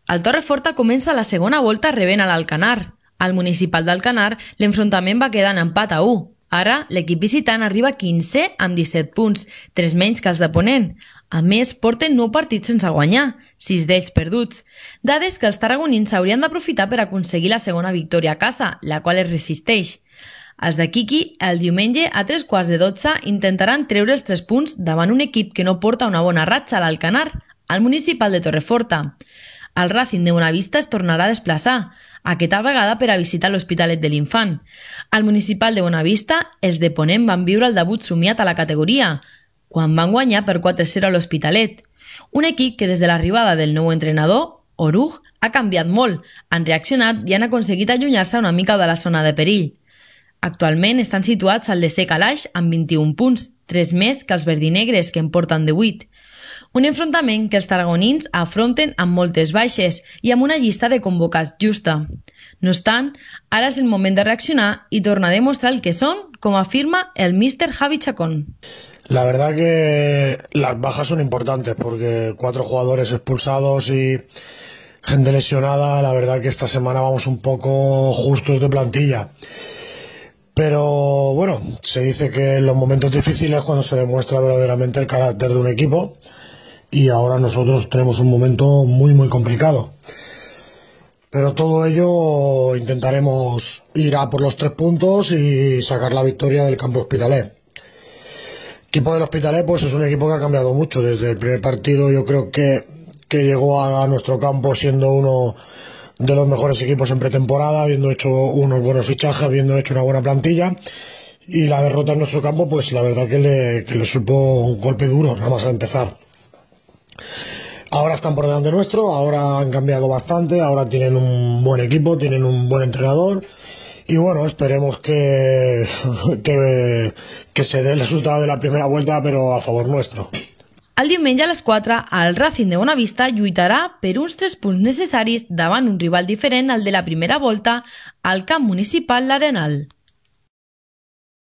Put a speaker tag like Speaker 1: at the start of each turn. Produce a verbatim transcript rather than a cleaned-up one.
Speaker 1: El Torreforta comença la segona volta rebent a l'Alcanar. Al Municipal d'Alcanar, l'enfrontament va quedar en empat a u. Ara, l'equip visitant arriba quinzè amb disset punts, tres menys que els de Ponent. A més, porten nou partits sense guanyar, sis d'ells perduts. Dades que els tarragonins haurien d'aprofitar per aconseguir la segona victòria a casa, la qual es resisteix. Els de Quiqui, el diumenge a tres quarts de dotze, intentaran treure els tres punts davant un equip que no porta una bona ratxa a l'Alcanar, al Municipal de Torreforta. El Racing de Bonavista es tornarà a desplaçar, aquesta vegada per a visitar l'Hospitalet de l'Infant. Al Municipal de Bonavista, els de Ponent van viure el debut somiat a la categoria, quan van guanyar per quatre a zero a l'Hospitalet. Un equip que des de l'arribada del nou entrenador, Oruj, ha canviat molt, han reaccionat i han aconseguit allunyar-se una mica de la zona de perill. Actualment estan situats al desè calaix amb vint-i-un punts, tres més que els verdinegres, que en porten divuit. Un enfrontament que els tarragonins afronten amb moltes baixes i amb una llista de convocats justa. No obstant, ara és el moment de reaccionar y tornar a demostrar el que son, como afirma el míster Javi Chacón.
Speaker 2: La verdad que las bajas son importantes porque cuatro jugadores expulsados y gente lesionada, la verdad que esta semana vamos un poco justos de plantilla. Pero bueno, se dice que en los momentos difíciles cuando se demuestra verdaderamente el carácter de un equipo, y ahora nosotros tenemos un momento muy muy complicado. Pero todo ello intentaremos ir a por los tres puntos y sacar la victoria del campo Hospitalet. El equipo del Hospitalet pues es un equipo que ha cambiado mucho. Desde el primer partido yo creo que, que llegó a, a nuestro campo siendo uno de los mejores equipos en pretemporada, habiendo hecho unos buenos fichajes, habiendo hecho una buena plantilla, y la derrota en nuestro campo pues la verdad que le, que le supo un golpe duro nada más a empezar. Ahora están por delante nuestro, ahora han cambiado bastante, ahora tienen un buen equipo, tienen un buen entrenador y bueno, esperemos que, que, que se dé el resultado de la primera vuelta però a favor nuestro.
Speaker 1: El diumenge a les quatre, el Racing de Bonavista lluitarà per uns tres punts necessaris davant un rival diferent al de la primera volta al camp municipal l'Arenal.